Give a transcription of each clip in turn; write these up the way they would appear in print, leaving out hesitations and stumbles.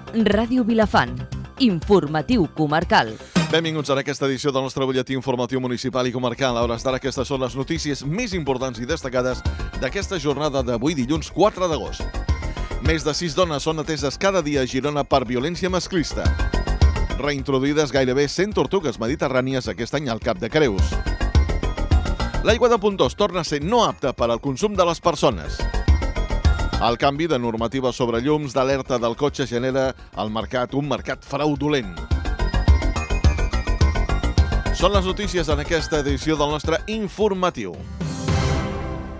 Ràdio Vilafant. Informatiu comarcal. Benvinguts a aquesta edició del nostre butlletí informatiu municipal i comarcal. A hores d'ara, aquestes són les notícies més importants i destacades d'aquesta jornada d'avui, dilluns 4 d'agost. Més de 6 dones són ateses cada dia a Girona per violència masclista. Reintroduïdes gairebé 100 tortugues mediterrànies aquest any al Cap de Creus. L'aigua de Pontós torna a ser no apta per al consum de les persones. El canvi de normativa sobre llums d'alerta del cotxe genera al mercat un mercat fraudulent. Són les notícies en aquesta edició del nostre informatiu.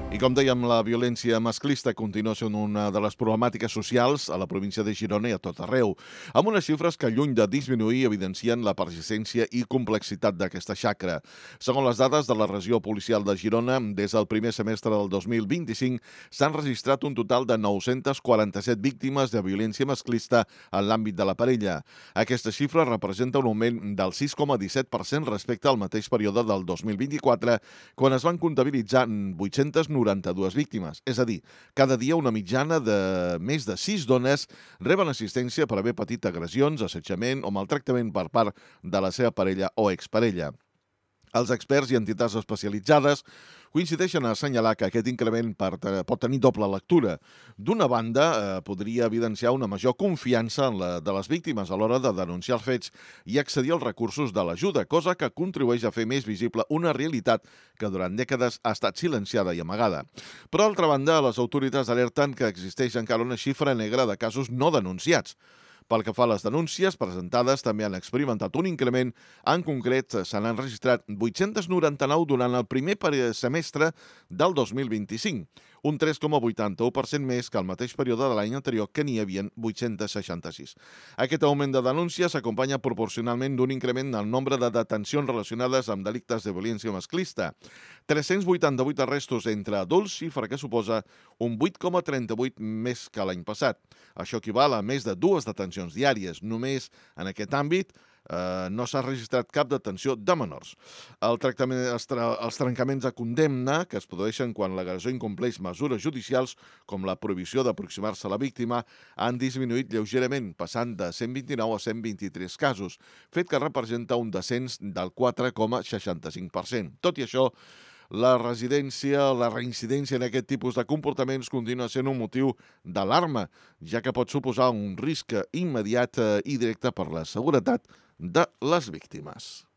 I com dèiem, la violència masclista continua sent una de les problemàtiques socials a la província de Girona i a tot arreu, amb unes xifres que, lluny de disminuir, evidencien la persistència i complexitat d'aquesta xacra. Segons les dades de la regió policial de Girona, des del primer semestre del 2025 s'han registrat un total de 947 víctimes de violència masclista en l'àmbit de la parella. Aquesta xifra representa un augment del 6,17% respecte al mateix període del 2024, quan es van comptabilitzar 892 víctimes. És a dir, cada dia una mitjana de més de 6 dones reben assistència per haver patit agressions, assetjament o maltractament per part de la seva parella o exparella. Els experts i entitats especialitzades coincideixen a assenyalar que aquest increment pot tenir doble lectura. D'una banda, podria evidenciar una major confiança de les víctimes a l'hora de denunciar els fets i accedir als recursos de l'ajuda, cosa que contribueix a fer més visible una realitat que durant dècades ha estat silenciada i amagada. Per altra banda, les autoritats alerten que existeix encara una xifra negra de casos no denunciats. Pel que fa a les denúncies presentades, també han experimentat un increment. En concret, se n'han registrat 899 durant el primer semestre del 2025, un 3,81% més que el mateix període de l'any anterior, que n'hi havia 866. Aquest augment de denúncies s'acompanya proporcionalment d'un increment en el nombre de detencions relacionades amb delictes de violència masclista. 388 arrestos entre adults, xifra que suposa un 8,38 més que l'any passat. Això equival a més de 2 detencions diàries. Només en aquest àmbit no s'ha registrat cap detenció de menors. Els trencaments de condemna, que es produeixen quan l'agressor incompleix mesures judicials, com la prohibició d'aproximar-se a la víctima, han disminuït lleugerament, passant de 129 a 123 casos, fet que representa un descens del 4,65%. Tot i això, la reincidència en aquest tipus de comportaments continua sent un motiu d'alarma, ja que pot suposar un risc immediat i directe per la seguretat de les víctimes.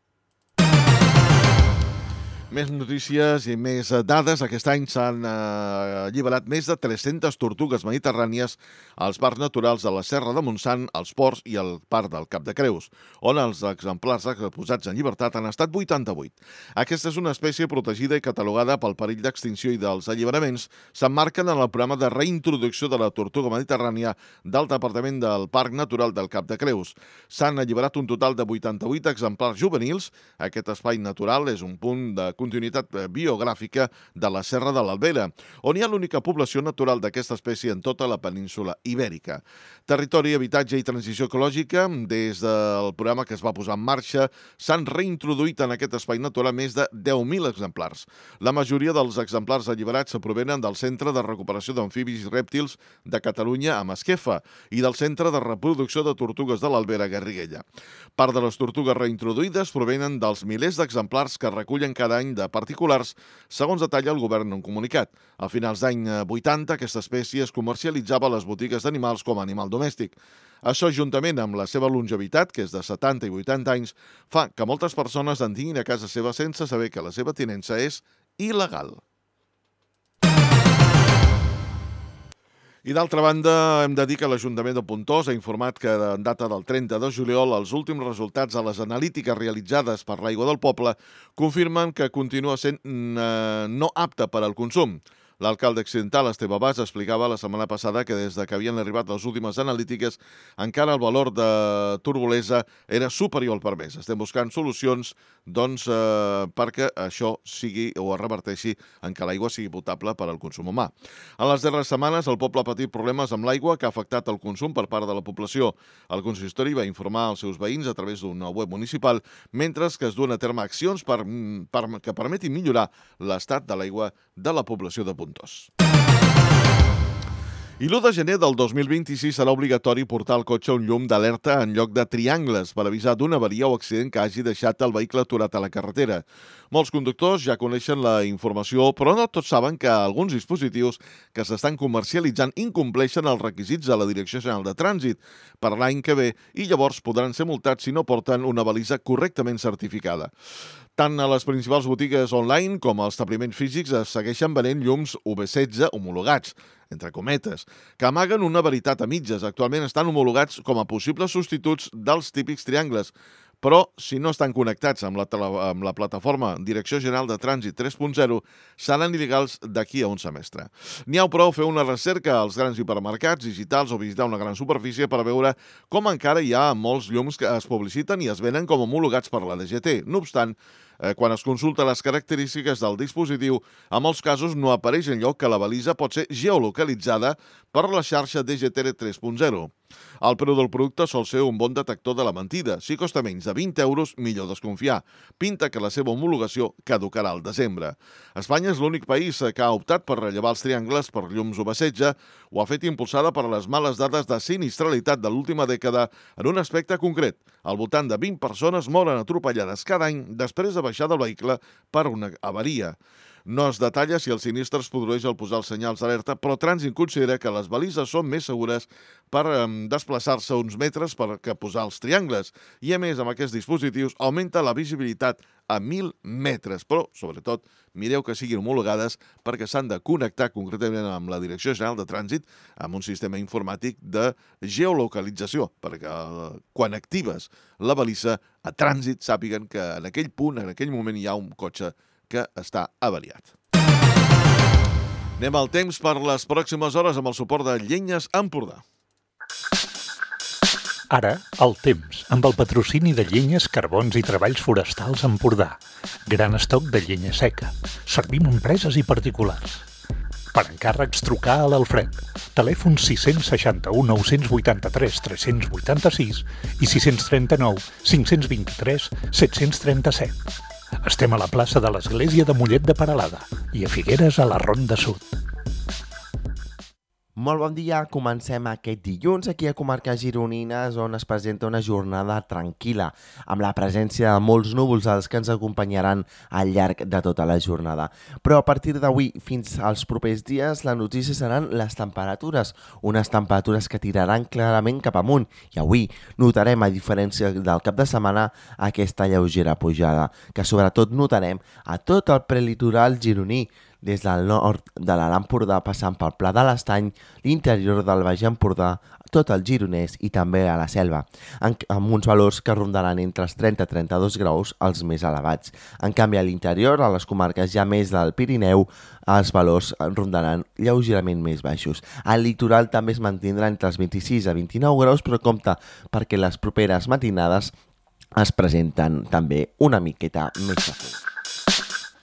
Més notícies i més dades. Aquest any s'han alliberat més de 300 tortugues mediterrànies als parcs naturals de la Serra de Montsant, als Ports i al Parc del Cap de Creus, on els exemplars posats en llibertat han estat 88. Aquesta és una espècie protegida i catalogada pel perill d'extinció, i dels alliberaments s'emmarquen en el programa de reintroducció de la tortuga mediterrània del Departament del Parc Natural del Cap de Creus. S'han alliberat un total de 88 exemplars juvenils. Aquest espai natural és un punt de continuïtat biogràfica de la Serra de l'Albera, on hi ha l'única població natural d'aquesta espècie en tota la península ibèrica. Territori, habitatge i transició ecològica. Des del programa que es va posar en marxa, s'han reintroduït en aquest espai natural més de 10.000 exemplars. La majoria dels exemplars alliberats provenen del Centre de Recuperació d'Amfibis i Rèptils de Catalunya, a Masquefa, i del Centre de Reproducció de Tortugues de l'Albera, a Garriguella. Part de les tortugues reintroduïdes provenen dels milers d'exemplars que recullen cada any de particulars, segons detalla el govern en un comunicat. A finals d'any 80, aquesta espècie es comercialitzava a les botigues d'animals com a animal domèstic. Això, juntament amb la seva longevitat, que és de 70 i 80 anys, fa que moltes persones en tinguin a casa seva sense saber que la seva tinença és il·legal. I d'altra banda, hem de dir que l'Ajuntament de Pontós ha informat que en data del 30 de juliol els últims resultats de les analítiques realitzades per l'aigua del poble confirmen que continua sent no apta per al consum. L'alcalde accidental, Esteve Bas, explicava la setmana passada que des que havien arribat les últimes analítiques encara el valor de turbolesa era superior al permès. Estem buscant solucions perquè això sigui o es reverteixi en que l'aigua sigui potable per al consum humà. En les darreres setmanes el poble ha patit problemes amb l'aigua que ha afectat el consum per part de la població. El consistori va informar als seus veïns a través d'una web municipal, mentre que es duen a terme accions que permetin millorar l'estat de l'aigua de la població de Pontós. I l'1 de gener del 2026 serà obligatori portar al cotxe un llum d'alerta en lloc de triangles per avisar d'una avaria o accident que hagi deixat el vehicle aturat a la carretera. Molts conductors ja coneixen la informació, però no tots saben que alguns dispositius que s'estan comercialitzant incompleixen els requisits de la Direcció General de Trànsit per l'any que ve i llavors podran ser multats si no porten una balisa correctament certificada. Tant a les principals botigues online com als establiments físics es segueixen venent llums UV16 homologats, entre cometes, que amaguen una veritat a mitges. Actualment estan homologats com a possibles substituts dels típics triangles, però si no estan connectats amb la plataforma Direcció General de Trànsit 3.0, seran il·legals d'aquí a un semestre. N'hi ha prou fer una recerca als grans hipermercats digitals o visitar una gran superfície per veure com encara hi ha molts llums que es publiciten i es venen com homologats per la DGT. No obstant, quan es consulta les característiques del dispositiu, en molts casos no apareix enlloc que la balisa pot ser geolocalitzada per la xarxa DGT 3.0. El preu del producte sol ser un bon detector de la mentida. Si costa menys de 20 euros, millor desconfiar. Pinta que la seva homologació caducarà al desembre. Espanya és l'únic país que ha optat per rellevar els triangles per llums UV16. Ho ha fet impulsada per les males dades de sinistralitat de l'última dècada en un aspecte concret. Al voltant de 20 persones moren atropellades cada any després de baixar del vehicle per una avaria. No es detalla si el sinistre es produeix al posar els senyals d'alerta, però Trànsit considera que les balises són més segures per desplaçar-se uns metres que posar els triangles. I a més, amb aquests dispositius augmenta la visibilitat a 1.000 metres. Però, sobretot, mireu que siguin homologades perquè s'han de connectar concretament amb la Direcció General de Trànsit amb un sistema informàtic de geolocalització, perquè quan actives la balisa a Trànsit sàpiguen que en aquell punt, en aquell moment hi ha un cotxe que està avariat. Anem al temps per les pròximes hores amb el suport de Llenyes Empordà. Ara, el temps, amb el patrocini de Llenyes, Carbons i Treballs Forestals Empordà. Gran estoc de llenya seca. Servim empreses i particulars. Per encàrrecs, trucar a l'Alfred. Telèfon 661 983 386 i 639 523 737. Estem a la plaça de l'Església de Mollet de Peralada i a Figueres a la Ronda Sud. Molt bon dia, comencem aquest dilluns aquí a Comarques Gironines, on es presenta una jornada tranquil·la, amb la presència de molts núvols els que ens acompanyaran al llarg de tota la jornada. Però a partir d'avui fins als propers dies la notícia seran les temperatures, unes temperatures que tiraran clarament cap amunt, i avui notarem, a diferència del cap de setmana, aquesta lleugera pujada, que sobretot notarem a tot el prelitoral gironí, des del nord de l'Alt Empordà passant pel Pla de l'Estany, l'interior del Baix Empordà, tot el Gironès i també a la Selva, amb uns valors que rondaran entre els 30 i 32 graus els més elevats. En canvi, a l'interior, a les comarques ja més del Pirineu, els valors rondaran lleugerament més baixos. Al litoral també es mantindrà entre els 26 a 29 graus, però compte perquè les properes matinades es presenten també una miqueta més fàcil.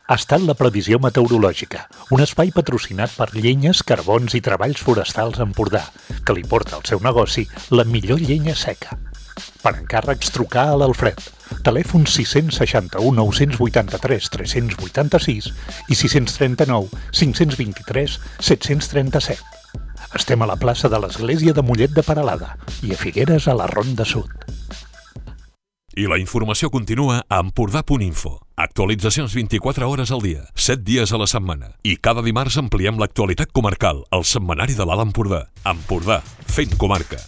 Ha estat la previsió meteorològica, un espai patrocinat per Llenyes, Carbons i Treballs Forestals Empordà, que li porta al seu negoci la millor llenya seca. Per encàrrecs, trucar a l'Alfred. Telèfon 661 983 386 i 639 523 737. Estem a la plaça de l'Església de Mollet de Peralada i a Figueres a la Ronda Sud. I la informació continua a empordà.info. Actualitzacions 24 hores al dia, 7 dies a la setmana. I cada dimarts ampliem l'actualitat comarcal al setmanari de l'Alt Empordà. Empordà, fent comarca.